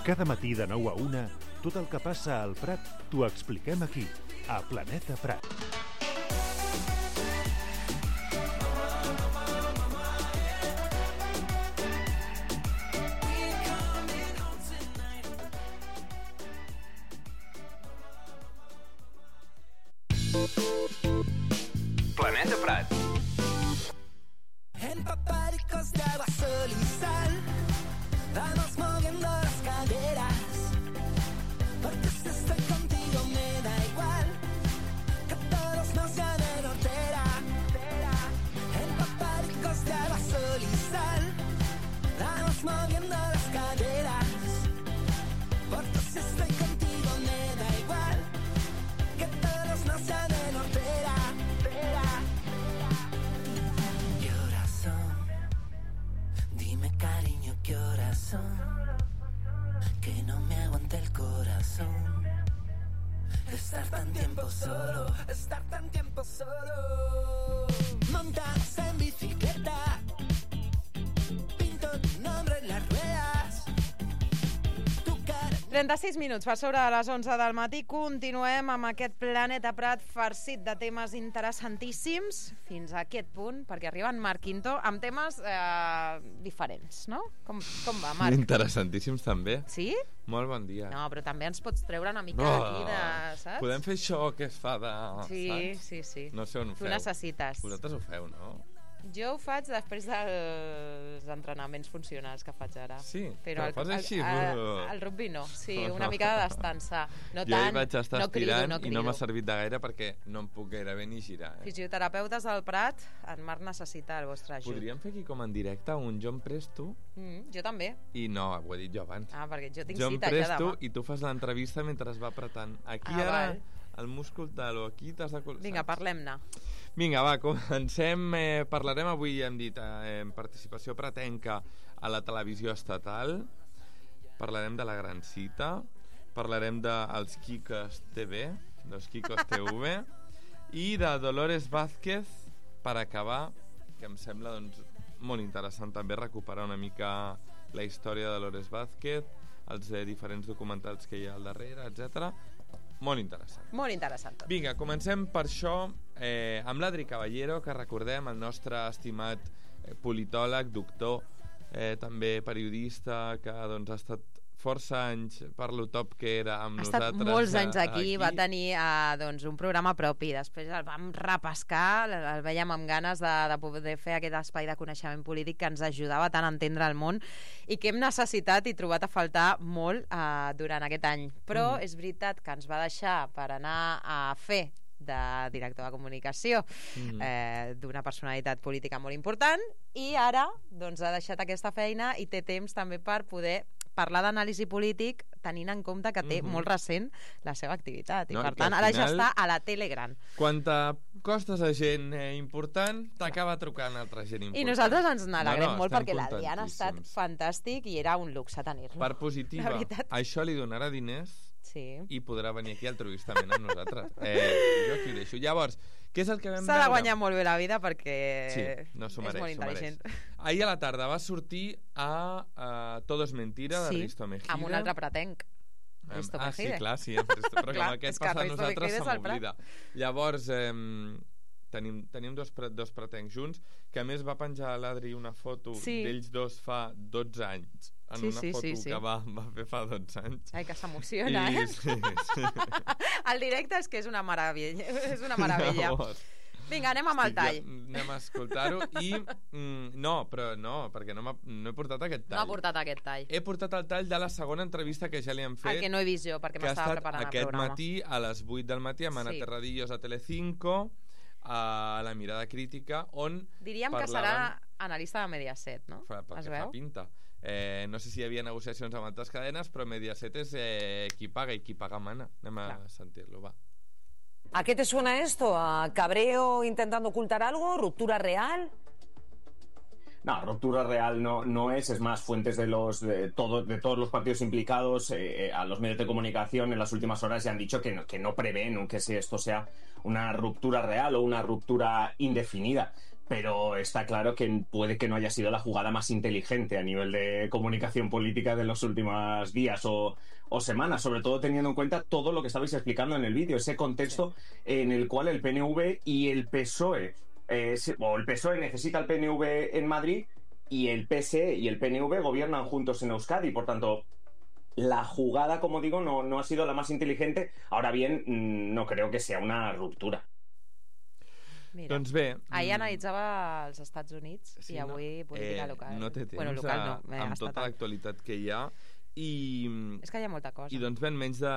Cada matí de 9 a 1, tot el que passa al Prat t'ho expliquem aquí, a Planeta Prat. Planeta Prat. Empaparicos de agua, sol y sal, vamos moviendo las caderas, porque si estoy contigo me da igual, que todos nos llamen hortera. Empaparicos de agua, sol y sal, vamos moviendo las caderas, porque si estoy contigo me da igual, que todos nos llamen hortera. Cariño, ¿qué horas son? Que no me aguanta el corazón. Estar tan tiempo solo, estar tan tiempo solo. Montas en bicicleta, pinto tu nombre en las ruedas. 36 minuts per sobre de les 11 del matí. Continuem amb aquest Planeta Prat farcit de temes interessantíssims fins a aquest punt, perquè arriba en Marc Quinto amb temes diferents, no? Com va, Marc? Interessantíssims també. Sí? Molt bon dia. No, però també ens pots treure una mica d'aquí de... saps? Podem fer això que es fa de... Sí, sí. No sé on ho feu. Tu necessites. Vosaltres ho feu, no? Jo ho faig després dels entrenaments funcionals que faig ara. Sí? Però fas així? El rugby no. Sí, una mica de descansar. No jo tant, hi vaig estar estirant no crido. I no m'ha servit de gaire perquè no em puc gairebé ni girar. Fisioterapeutes del Prat, en Marc necessita el vostre ajut. Podríem fer aquí com en directe un Jo em presto? Jo també. I no, ho he dit jo abans. Perquè jo tinc cita ja demà. Jo em presto i tu fas l'entrevista mentre es va apretant. Aquí ara, val. El múscul tal o aquí t'has de... Vinga, parlem-ne. Vinga, va, comencem. Parlarem avui, hem dit, en participació pratenca a la televisió estatal. Parlarem de la Gran Cita. Parlarem dels Kikos TV, dels Kikos TV. I de Dolores Vázquez, per acabar, que em sembla doncs, molt interessant també recuperar una mica la història de Dolores Vázquez, els diferents documentals que hi ha al darrere, etc. Molt interessant. Molt interessant tot. Vinga, comencem per això amb l'Adri Caballero, que recordem, el nostre estimat politòleg, doctor, també periodista, que doncs, ha estat força anys per lo top que era amb nosaltres. Ha estat molts anys aquí, va tenir doncs, un programa propi, després el vam repescar, el veiem amb ganes de poder fer aquest espai de coneixement polític que ens ajudava tant a entendre el món i que hem necessitat i trobat a faltar molt durant aquest any. Però és veritat que ens va deixar per anar a fer de director de comunicació d'una personalitat política molt important i ara doncs, ha deixat aquesta feina i té temps també per poder parlar d'anàlisi polític tenint en compte que té molt recent la seva activitat i per tant ara ja està a la tele gran. Quan t'acostes a gent important t'acaba trucant altra gent important. I nosaltres ens n'alegrem molt perquè l'Adrià ha estat fantàstic i era un luxe tenir-lo. Per positiva, això li donarà diners i podrà venir aquí altruistament amb nosaltres. Jo aquí ho deixo. Llavors, què és el que vam veure? S'ha de guanyar molt bé la vida perquè és molt intel·ligent. Ahir a la tarda va sortir a Todo es mentira de Risto Mejide. Amb un altre pratenc. Sí, clar, sí, però com aquest passa a nosaltres se m'oblida. Llavors tenim dos pretencs junts, que a més va penjar a l'Adri una foto d'ells dos fa 12 anys en una foto que va fer fa 12 anys. Ai, que s'emociona, Sí. El directe és que és una meravella. És una meravella. Vinga, anem amb el tall. Anem a escoltar-ho i... No, perquè no he portat aquest tall. No ha portat aquest tall. He portat el tall de la segona entrevista que ja li hem fet. El que no he vist jo, perquè m'estava preparant el programa. Aquest matí, a les 8 del matí, amb Ana Terradillos a Telecinco, a La Mirada Crítica, on diríem que serà analista de Mediaset, no? Perquè fa pinta. No sé si hi havia negociacions amb altres cadenes, però Mediaset és qui paga i qui paga mana. Anem a sentir-lo, va. ¿A qué te suena esto? ¿A cabreo intentando ocultar algo? ¿Ruptura real? No, ruptura real no es más, fuentes de todos los partidos implicados a los medios de comunicación en las últimas horas ya han dicho que no prevén que esto sea una ruptura real o una ruptura indefinida. pero está claro que puede que no haya sido la jugada más inteligente a nivel de comunicación política de los últimos días o semanas, sobre todo teniendo en cuenta todo lo que estabais explicando en el vídeo, ese contexto en el cual el PNV y el PSOE, o el PSOE necesita al PNV en Madrid y el PSE y el PNV gobiernan juntos en Euskadi, por tanto, la jugada, como digo, no ha sido la más inteligente. Ahora bien, no creo que sea una ruptura. Mira, Doncs bé... ahir analitzava els Estats Units i avui política local. No té temps bueno, local no, amb tota l'actualitat que hi ha. És que hi ha molta cosa. I doncs bé, en menys de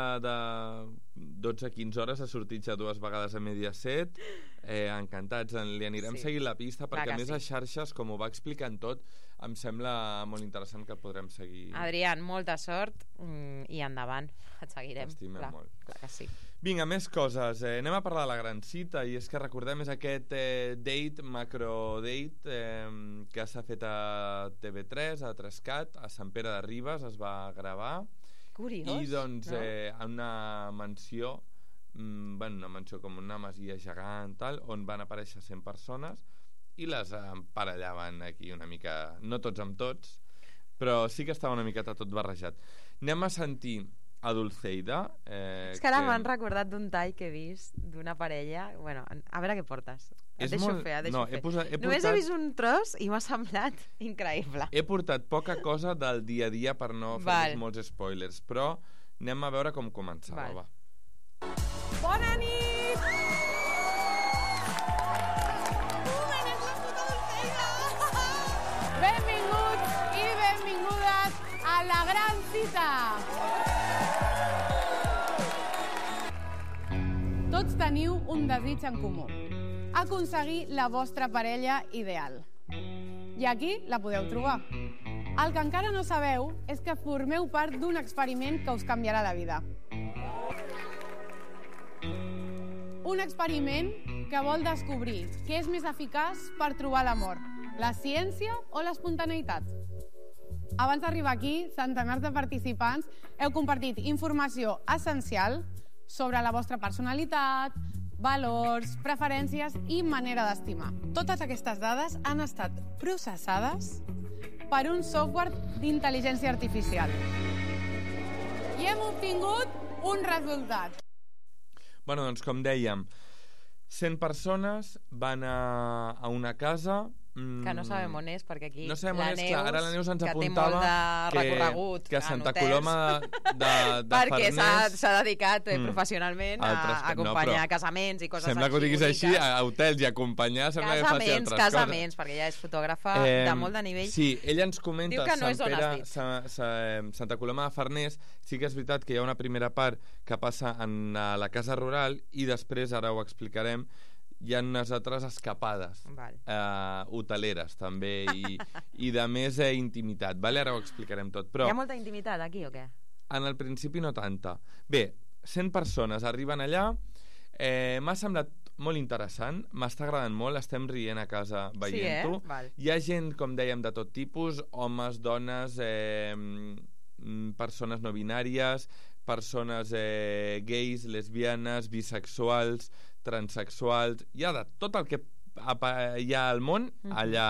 12-15 hores ha sortit ja 2 vegades a Mediaset. Encantats, li anirem seguint la pista, perquè a més a xarxes, com ho va explicant tot, em sembla molt interessant que el podrem seguir. Adrián, molta sort i endavant, et seguirem. T'estimem molt. Clar que sí. Vinga, més coses. Anem a parlar de la gran cita, i és que recordem és aquest macro-date que s'ha fet a TV3, a 3CAT, a Sant Pere de Ribes, es va gravar. Curiós, I doncs no? En una mansió, una mansió com una masia gegant, tal, on van aparèixer 100 persones i les emparellaven aquí una mica, no tots amb tots, però sí que estava una miqueta tot barrejat. Anem a sentir a Dulceida. És que ara m'han recordat d'un tall que he vist d'una parella. Bueno, a veure què portes. Et deixo fer. Només he vist un tros i m'ha semblat increïble. He portat poca cosa del dia a dia per no fer molts spoilers, però anem a veure com començava. Va. Bona nit! Benvinguts i benvingudes a la gran cita! Tots teniu un desig en comú: aconseguir la vostra parella ideal. I aquí la podeu trobar. El que encara no sabeu és que formeu part d'un experiment que us canviarà la vida. Un experiment que vol descobrir què és més eficaç per trobar l'amor, la ciència o l'espontaneïtat. Abans d'arribar aquí, centenars de participants heu compartit informació essencial sobre la vostra personalitat, valors, preferències i manera d'estimar. Totes aquestes dades han estat processades per un software d'intel·ligència artificial. I hem obtingut un resultat. Bueno, doncs com dèiem, 100 persones van a una casa... Que no sabem on és, perquè aquí no sabem on és, clar, ara la Neus ens que apuntava té molt de recorregut que Santa Coloma de perquè Farners s'ha dedicat professionalment a acompanyar casaments i coses sembla així. Que ho diguis així, a hotels i acompanyar sembla que faci altres casaments, perquè ella és fotògrafa de molt de nivell. Sí, ella ens comenta diu que no és on has dit. Santa Coloma de Farners. Sí que és veritat que hi ha una primera part que passa en la casa rural i després, ara ho explicarem, hi ha unes altres escapades hoteleres també i de més intimitat, vale? Ara ho explicarem tot, però... Hi ha molta intimitat aquí o què? En el principi no tanta. Bé, 100 persones arriben allà, m'ha semblat molt interessant, m'està agradant molt, estem rient a casa veient-ho. Hi ha gent, com dèiem, de tot tipus, homes, dones, persones no binàries, persones gais, lesbianes, bisexuals, transexuals, hi ha de tot el que hi ha al món, allà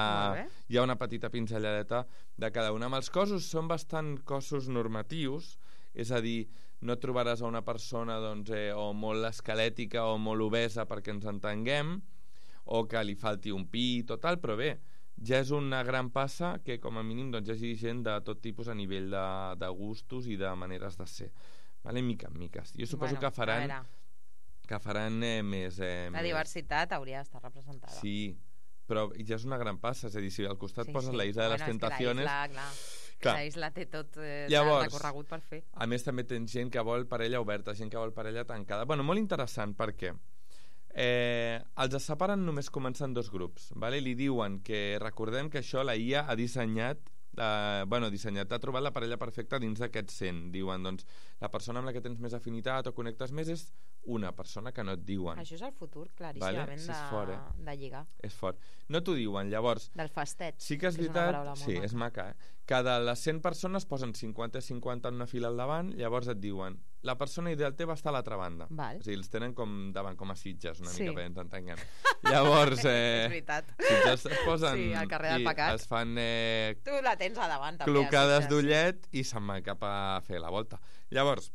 hi ha una petita pinzelladeta de cada una. Amb els cossos són bastant cossos normatius, és a dir, no trobaràs a una persona o molt esquelètica o molt obesa perquè ens entenguem, o que li falti un pit o tal, però bé, ja és una gran passa que com a mínim hi hagi gent de tot tipus a nivell de gustos i de maneres de ser, vale? Mica en miques. Jo suposo que faran més... La diversitat hauria d'estar representada. Sí, però ja és una gran passa, és a dir, si al costat poses la Isla de les Tentaciones... La Isla té tot recorregut per fer. A més, també tens gent que vol parella oberta, gent que vol parella tancada. Bueno, molt interessant, perquè els separen només començant 2 grups, vale? Li diuen que, recordem que això la IA ha dissenyat, ha trobat la parella perfecta dins d'aquests 100. Diuen, doncs, la persona amb la que tens més afinitat o connectes més és una persona que no et diuen. Això és el futur, claríssimament, de lligar. És fort. No t'ho diuen, llavors... Del fastet. Sí que és veritat, sí, és maca, Cada les 100 persones posen 50 en una fila al davant, llavors et diuen la persona ideal teva està a l'altra banda. Val. És a dir, els tenen com davant, com a Sitges, una Sí. mica, perquè ens entenguem. Llavors, És veritat. Sitges es posen... Sí, al carrer del i Pecat. es fan Tu la tens a davant, també. clocades Sitges. d'ullet i se'n van cap a fer la volta. Llavors,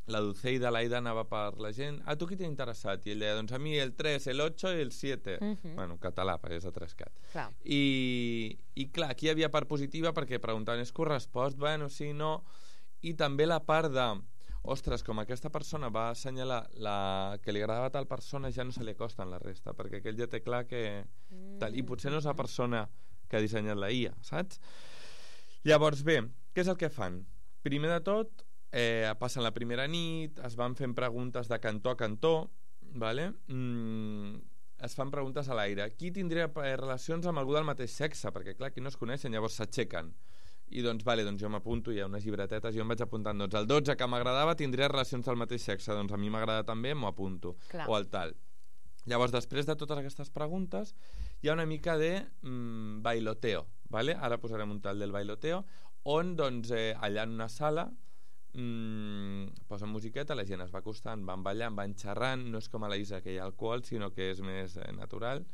la Dulce i l'Aida anava per la gent. A tu qui t'ha interessat? I ell deia, doncs a mi el 3, el 8 i el 7. Bueno, català, perquè és a 3cat. Clar. I clar, aquí hi havia part positiva perquè preguntaven, és correspost? Bueno, sí, no... I també la part de, ostres, com aquesta persona va assenyalar que li agradava a tal persona, ja no se li acosta en la resta, perquè aquell ja té clar que... Tal, i potser no és la persona que ha dissenyat la IA, saps? Llavors, bé, què és el que fan? Primer de tot, passen la primera nit, es van fent preguntes de cantó a cantó, vale? Es fan preguntes a l'aire. Qui tindria relacions amb algú del mateix sexe? Perquè, clar, aquí no es coneixen, llavors s'aixequen. I doncs, vale, doncs jo m'apunto, hi ha unes llibretetes, jo em vaig apuntant, doncs el 12 que m'agradava tindria relacions del mateix sexe, doncs a mi m'agrada també, m'ho apunto. Clar. O el tal. Llavors, després de totes aquestes preguntes, hi ha una mica de bailoteo, vale? Ara posarem un tal del bailoteo, on, doncs, allà en una sala, posen musiqueta, la gent es va acostant, van ballant, van xerrant, no és com a la Isa que hi ha alcohol, sinó que és més natural.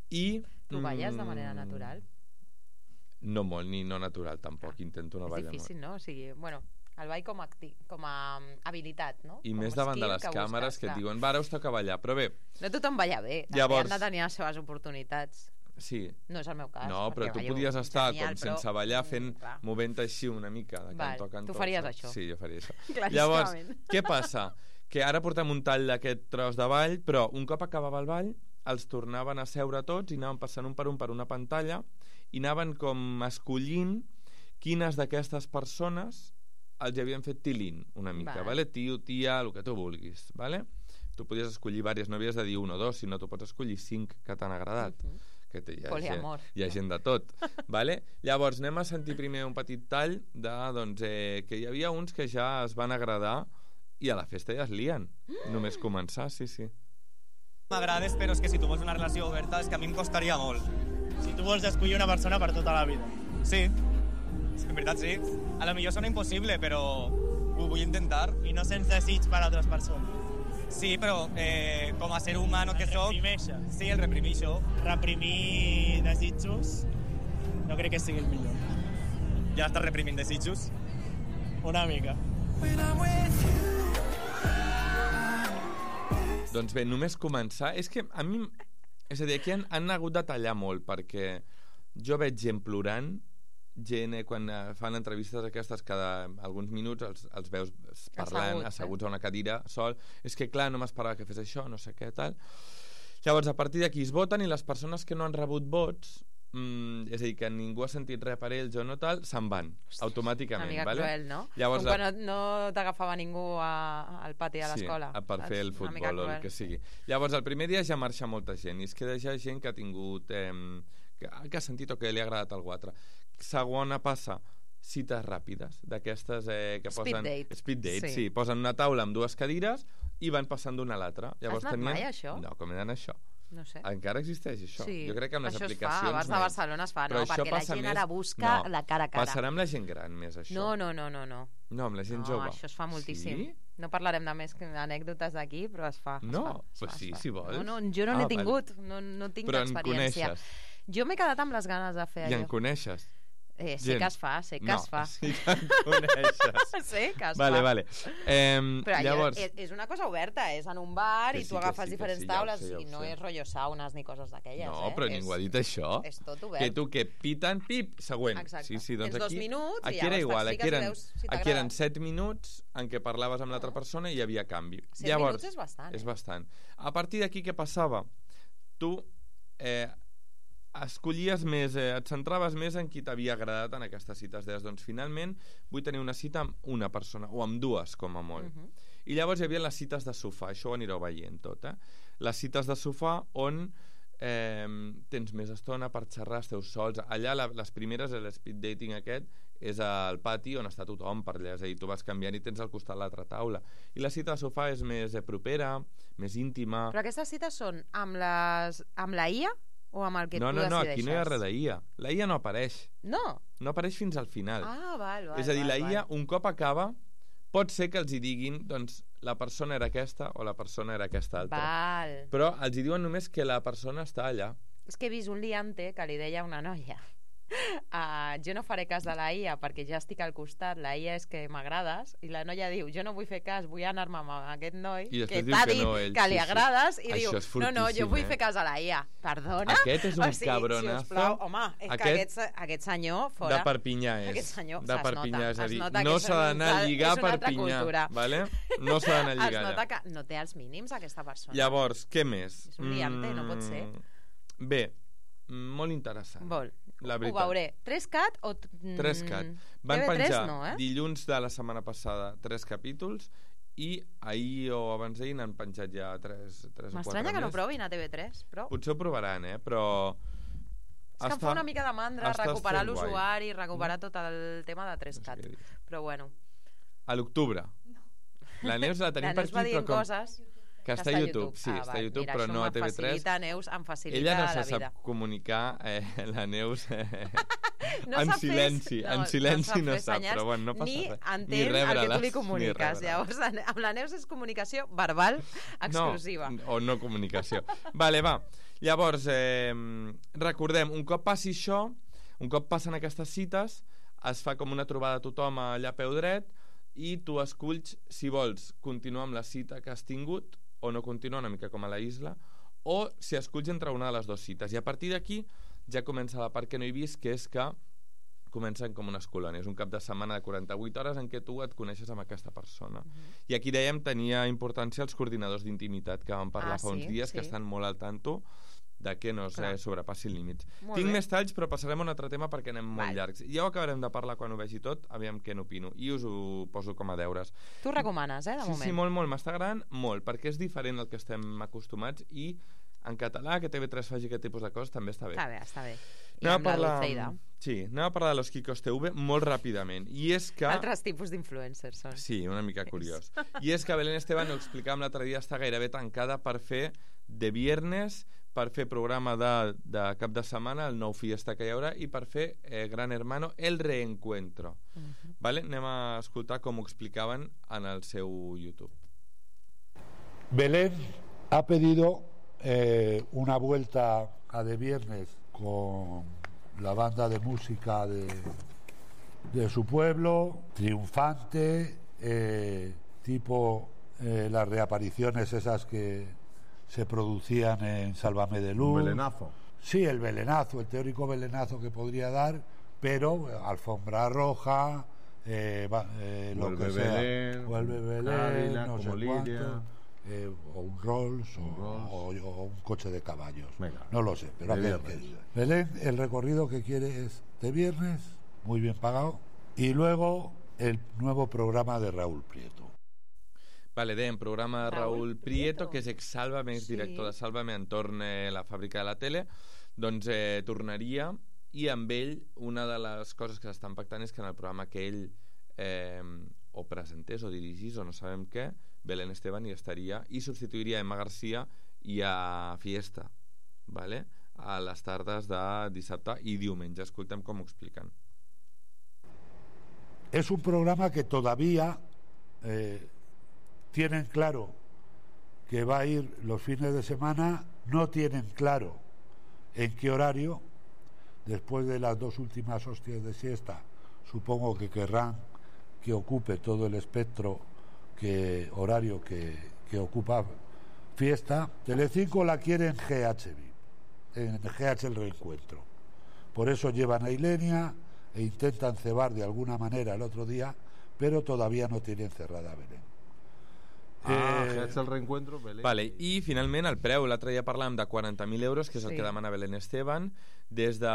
I... Tu balles de manera natural? No molt, ni no natural tampoc, intento no ballar molt. És difícil, no? O sigui, bueno, el ball com a habilitat, no? I com més davant de les càmeres que et diuen, va, ara us toca ballar, però bé... No tothom balla bé, Llavors... han de tenir les seves oportunitats. Sí. No és el meu cas. No, però tu ballo podies estar genial, com sense ballar fent, movent així una mica de cantó a cantó. Tu faries això. Sí, jo faria això. Llavors, què passa? Que ara portem un tall d'aquest tros de ball, però un cop acabava el ball els tornaven a seure tots i anaven passant un per una pantalla i anaven com escollint quines d'aquestes persones els havien fet tilín una mica, vale? Tio, tia, el que tu vulguis, vale? Tu podies escollir diverses, no havies de dir 1 o 2, sinó tu pots escollir 5 que t'han agradat. Que Poliamor. Hi ha gent de tot, vale? Llavors anem a sentir primer un petit tall de, doncs, que hi havia uns que ja es van agradar i a la festa ja es lien, només començar, sí. M'agrades, però és que si tu vols una relació oberta és que a mi em costaria molt. Si tu vols escollir una persona per tota la vida. Sí, és que en veritat sí. A lo millor sona impossible, però ho vull intentar. I no sense desig per a altres persones. Sí, però com a ser humano que soc... Sí, el reprimeixo. Reprimir desitjos no crec que sigui el millor. Ja estàs reprimint desitjos? Una mica. Doncs bé, només començar... És que a mi... És a dir, aquí han hagut de tallar molt, perquè jo veig gent plorant, gent quan fan entrevistes aquestes cada alguns minuts els veus parlant, asseguts a una cadira sol, és que clar, no m'esperava que fes això, no sé què, tal. Llavors, a partir d'aquí es voten i les persones que no han rebut vots, és a dir, que ningú ha sentit res per ells o no tal, se'n van, automàticament. Una mica cruel, no? Llavors, com quan no t'agafava ningú al pati de l'escola. Sí, per fer el futbol o el que sigui. Llavors, el primer dia ja marxa molta gent, i es queda ja gent que ha tingut... que ha sentit o que li ha agradat algú altre. Segona passa, cites ràpides, d'aquestes que posen... Speed date, sí. Posen una taula amb 2 cadires i van passant d'una a l'altra. Has anat mai, això? No, com he d'anar això? No sé. Encara existeix això? Sí. Jo crec que amb les aplicacions... Això es fa, abans de Barcelona es fa, no? Perquè la gent ara busca la cara a cara. Passarà amb la gent gran més, això? No. No, amb la gent jove? No, això es fa moltíssim. Sí? No parlarem de més anècdotes d'aquí, però es fa. No? Pues sí, si vols. No, jo no n'he tingut, no tinc però experiència. En coneixes? Jo m'he quedat amb les ganes de fer allò. I en coneixes? Sé que es fa, sé que es fa. Sí que en coneixes. Sé que es fa. Vale. Però llavors... és una cosa oberta, és en un bar i tu agafes diferents taules i no és rotllo saunes ni coses d'aquelles. No, però ningú ha dit això. És tot obert. Que tu que piten, pip, següent. Exacte. Sí, doncs tens 2 minuts i aquí era igual, aquí eren 7 minuts en què parlaves amb l'altra persona i hi havia canvi. 7 minuts és bastant. És bastant. A partir d'aquí què passava? Tu escollies més, et centraves més en qui t'havia agradat en aquestes cites. Deies, doncs finalment vull tenir una cita amb una persona, o amb 2 com a molt. I llavors hi havia les cites de sofà, això ho anireu veient tot, les cites de sofà on tens més estona per xerrar, esteu sols. Allà les primeres, l'speed dating aquest, és al pati on està tothom per allà, és a dir, tu vas canviant i tens al costat l'altra taula. I la cita de sofà és més propera, més íntima. Però aquestes cites són amb la IA o amb el que tu decideixes? No, aquí no hi ha res d'IA. La IA no apareix. No? No apareix fins al final. Ah, val. És a dir, la IA, un cop acaba, pot ser que els hi diguin, doncs, la persona era aquesta o la persona era aquesta altra. Val. Però els hi diuen només que la persona està allà. És que he vist un liante que li deia a una noia jo no faré cas de la IA perquè ja estic al costat, la IA és que m'agrades, i la noia diu, jo no vull fer cas, vull anar-me amb aquest noi que t'ha dit que li agrades, i diu, no, jo vull fer cas a la IA. Perdona? Aquest és un cabronazo. Sisplau, home, és que aquest senyor fora... De Perpinyà és. Aquest senyor de Perpinyà, és a dir, no s'ha d'anar a lligar a Perpinyà, vale? No s'ha d'anar a lligar allà. Es nota que no té els mínims aquesta persona. Llavors, què més? És un liante, no pot ser. Bé, molt interessant. La veritat. Ho veuré. 3CAT o... 3CAT. Van penjar dilluns de la setmana passada 3 capítols i ahir o abans d'ahir n'han penjat ja 3 o 4 més. M'estranya que no provin a TV3, però... Potser ho provaran, però... És que em fa una mica de mandra recuperar l'usuari, recuperar tot el tema de 3CAT. Però bueno. A l'octubre. La Neus la tenim per aquí, però com... coses... Que està a YouTube, sí, està a YouTube, però no a TV3. Neus, em facilita ella no se sap comunicar, la Neus, en silenci no sap, però bueno, no passa res. Ni entén el que tu li comuniques. Llavors, amb la Neus és comunicació verbal exclusiva. O no comunicació. Vale, va. Llavors, recordem, un cop passi això, un cop passen aquestes cites, es fa com una trobada a tothom allà a peu dret i tu esculls si vols continuar amb la cita que has tingut o no continuar, una mica com a la Isla, o si esculls entre una de les dues cites. I a partir d'aquí ja comença la part que no he vist, que és que comencen com unes colònies, un cap de setmana de 48 hores en què tu et coneixes amb aquesta persona. I aquí dèiem tenia importància els coordinadors d'intimitat que vam parlar fa uns dies, que estan molt al tanto de que no es sobrepassin límits. Tinc més talls, però passarem a un altre tema perquè anem molt llargs. Ja ho acabarem de parlar quan ho vegi tot, aviam què n'opino. I us ho poso com a deures. Tu recomanes, de moment? Sí, molt. M'està agradant molt, perquè és diferent al que estem acostumats i en català que TV3 faci aquest tipus de coses també està bé. Està bé. Anem a parlar de los Kikos TV molt ràpidament. I és que... Altres tipus d'influencers són. Sí, una mica curiós. I és que Belén Esteban, ho explicàvem l'altre dia, està gairebé tancada per fer de viernes, per fer programa de cap de setmana, el nou Fiesta que hi haurà, i per fer Gran Hermano, El Reencuentro. Vale? Anem a escoltar com ho explicaven en el seu YouTube. Belén ha pedido una vuelta a de viernes con la banda de música de su pueblo, triunfante, tipo las reapariciones esas que se producían en Sálvame de Luz. ¿Un belenazo? Sí, el belenazo, el teórico belenazo que podría dar, pero alfombra roja, lo que sea. Vuelve Belén, Ávila, no sé cuánto, o un Rolls o un coche de caballos. Venga, no lo sé, pero Belén, el recorrido que quiere es de viernes, muy bien pagado, y luego el nuevo programa de Raúl Prieto. Vale, dèiem, programa de Raúl Prieto, que és ex-Sálvame, és director de Sálvame, entorn la fàbrica de la tele, doncs tornaria, i amb ell una de les coses que s'estan pactant és que en el programa que ell o presentés o dirigís o no sabem què, Belén Esteban hi estaria i substituiria a Emma García i a Fiesta, vale? A les tardes de dissabte i diumenge. Escoltem com ho expliquen. Es un programa que todavía tienen claro que va a ir los fines de semana, no tienen claro en qué horario. Después de las 2 últimas hostias de siesta, supongo que querrán que ocupe todo el espectro horario que ocupa Fiesta. Telecinco la quiere en en GH El Reencuentro. Por eso llevan a Ilenia e intentan cebar de alguna manera el otro día, pero todavía no tienen cerrada a Belén. GH El Reencuentro, Belén. Vale, i finalment el preu, l'altre dia parlàvem de 40.000 euros, que és el que demana Belén Esteban, des de...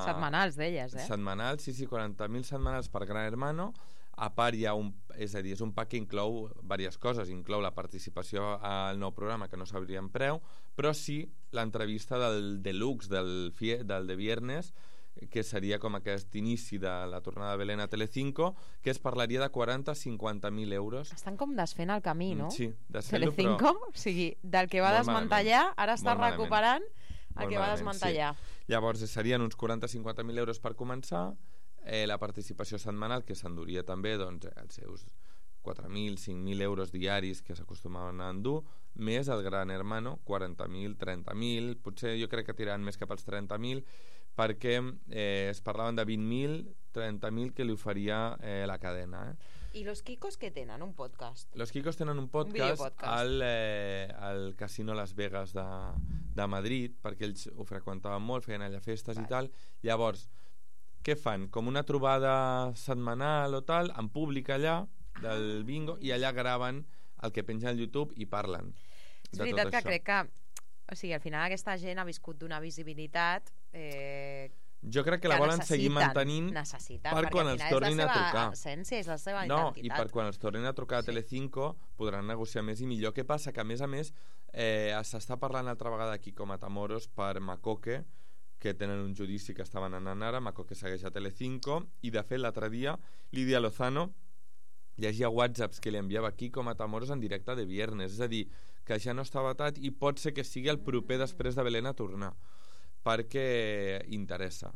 Setmanals d'elles, Setmanals, sí, 40.000 setmanals per Gran Hermano. A part hi ha és a dir, és un pack que inclou diverses coses, inclou la participació al nou programa, que no sabríem preu, però sí l'entrevista del deluxe del de viernes, que seria com aquest inici de la tornada de Belén a Telecinco, que es parlaria de 40-50.000 euros. Estan com desfent el camí, no? Sí, desfent-lo, Telecinco, o sigui, del que va desmantellar, ara està recuperant el que va desmantellar. Sí. Llavors serien uns 40-50.000 euros per començar, la participació setmanal, que s'enduria també doncs, els seus 4.000, 5.000 euros diaris que s'acostumaven a endur, més el Gran Hermano, 40.000, 30.000, potser jo crec que tiraran més cap als 30.000, perquè es parlaven de 20.000, 30.000 que li oferia la cadena. I los Kikos què tenen? Un podcast? Los Kikos tenen un podcast al Casino Las Vegas de Madrid, perquè ells ho freqüentaven molt, feien allà festes i tal. Llavors, què fan? Com una trobada setmanal o tal, en públic allà, del bingo, i allà graven el que penja al YouTube i parlen. És veritat que crec que, o sigui, al final aquesta gent ha viscut d'una visibilitat jo crec que la volen seguir mantenint per quan els tornin a trucar. Essència, és la seva identitat. I per quan els tornin a trucar a Telecinco podran negociar més i millor. Què passa? Que a més s'està parlant altra vegada aquí com a Matamoros per Macoque, que tenen un judici que estaven anant ara. Macoque segueix a Telecinco i de fet l'altre dia Lídia Lozano llegia whatsapps que li enviava Kiko Matamoros en directe de viernes, és a dir, que ja no està vetat i pot ser que sigui el proper després de Belén a tornar, perquè interessa.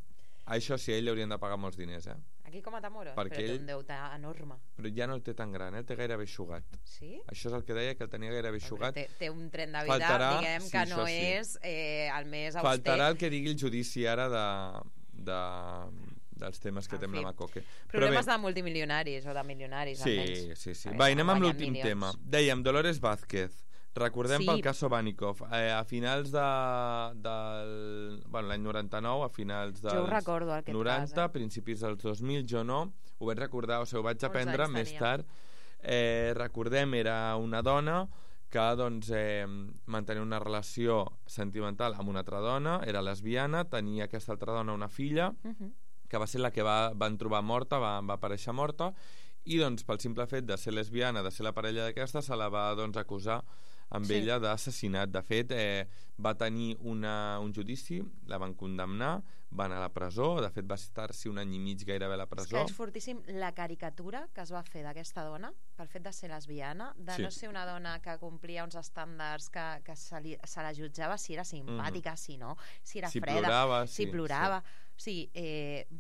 Això sí, ell li haurien de pagar molts diners, Kiko Matamoros? Perquè però té un deute enorme. Però ja no el té tan gran, té gairebé eixugat. Sí? Això és el que deia, que el tenia gairebé eixugat. Té un tren de vida, diguem, que no és el més auster. Faltarà el que digui el judici ara dels temes que té amb la Macoque. Problemes de multimilionaris o de milionaris, almenys. Sí. Va, anem amb l'últim tema. Dèiem, Dolores Vázquez. Recordem pel cas Sobánikov. A finals l'any 99, a finals dels 90, principis dels 2000, jo no. Ho vaig recordar, ho vaig aprendre més tard. Recordem, era una dona que mantenia una relació sentimental amb una altra dona, era lesbiana, tenia aquesta altra dona una filla, que va ser la que van trobar morta, va aparèixer morta, i pel simple fet de ser lesbiana, de ser la parella d'aquesta, se la va acusar amb ella d'assassinat. De fet, va tenir un judici, la van condemnar, va anar a la presó, de fet va estar-s'hi un any i mig gairebé a la presó. És que és fortíssim la caricatura que es va fer d'aquesta dona pel fet de ser lesbiana, de no ser una dona que complia uns estàndards que se la jutjava si era simpàtica, si no, si era freda, si plorava. O sigui,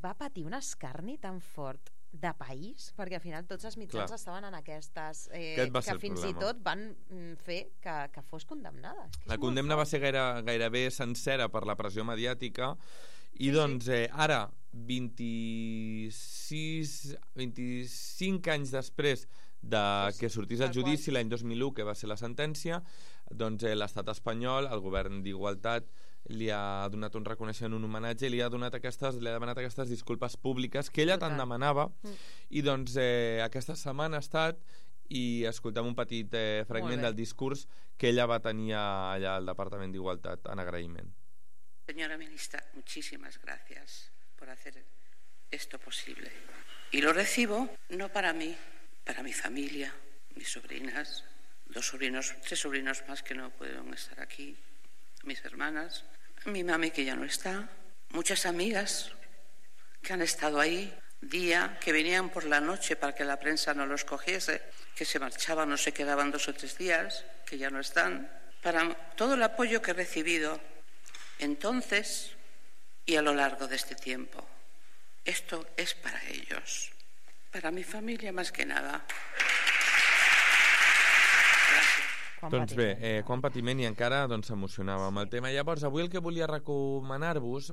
va patir un escarni tan fort de país, perquè al final tots els mitjans estaven en aquestes que fins i tot van fer que fos condemnada. La condemna va ser gairebé sencera per la pressió mediàtica i ara 25 anys després de que sortís el judici l'any 2001, que va ser la sentència, l'estat espanyol, el govern d'Igualtat, li ha donat un reconeixement, un homenatge, i li ha demanat aquestes disculpes públiques que ella tant demanava, i aquesta setmana ha estat, i escoltem un petit fragment del discurs que ella va tenir allà al Departament d'Igualtat en agraïment. Señora ministra, muchísimas gracias por hacer esto posible. Y lo recibo no para mí, para mi familia, mis sobrinas, 3 sobrinos más que no pueden estar aquí, mis hermanas, mi mami que ya no está, muchas amigas que han estado ahí día, que venían por la noche para que la prensa no los cogiese, que se marchaban o se quedaban 2 o 3 días, que ya no están, para todo el apoyo que he recibido entonces y a lo largo de este tiempo. Esto es para ellos, para mi familia más que nada. Doncs bé, quan patiment, i encara s'emocionava amb el tema. Llavors, avui el que volia recomanar-vos,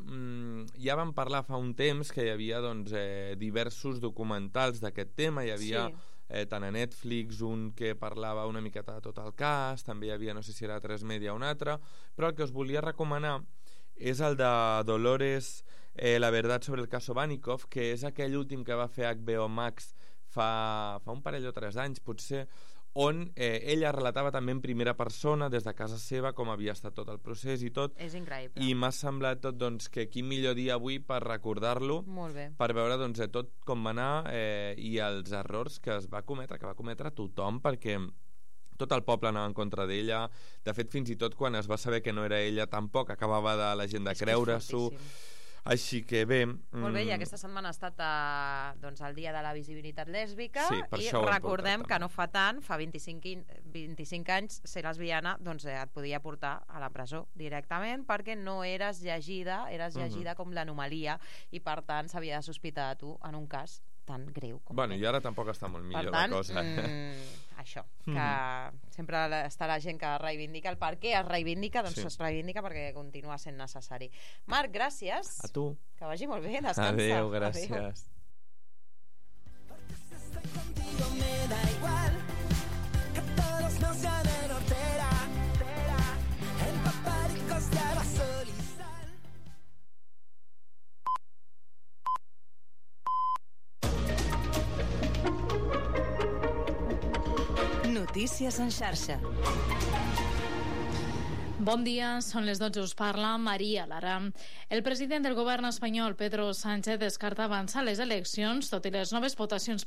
ja vam parlar fa un temps que hi havia diversos documentals d'aquest tema, hi havia tant a Netflix un que parlava una miqueta de tot el cas, també hi havia, no sé si era a 3 Media o un altre, però el que us volia recomanar és el de Dolores, La verdad sobre el caso Sobánikov, que és aquell últim que va fer HBO Max fa un parell o 3 anys, potser, on ella relatava també en primera persona des de casa seva com havia estat tot el procés i tot. És increïble. I m'ha semblat tot que quin millor dia avui per recordar-lo, per veure tot com va anar i els errors que va cometre tothom, perquè tot el poble anava en contra d'ella. De fet, fins i tot quan es va saber que no era ella, tampoc acabava la gent de creure-s'ho. Així que bé... Molt bé, i aquesta setmana ha estat el dia de la visibilitat lèsbica, i recordem que no fa tant, fa 25 anys, ser lesbiana et podia portar a la presó directament, perquè no eres llegida com l'anomalia, i per tant s'havia de sospitar de tu en un cas tan greu com Bueno, i ara tampoc està molt millor tant, la cosa. Això, que sempre està la gent que reivindica el per què es reivindica, doncs es reivindica perquè continua sent necessari. Marc, gràcies. A tu. Que vagi molt bé, descansa. Adéu, gràcies. Contigo me da igual que todos nos llamen hortera, en paparicos de basol y sal. Notícies en xarxa. Bon dia, són les 12, us parla Maria Lara. El president del govern espanyol, Pedro Sánchez, descarta avançar les eleccions, tot i les noves votacions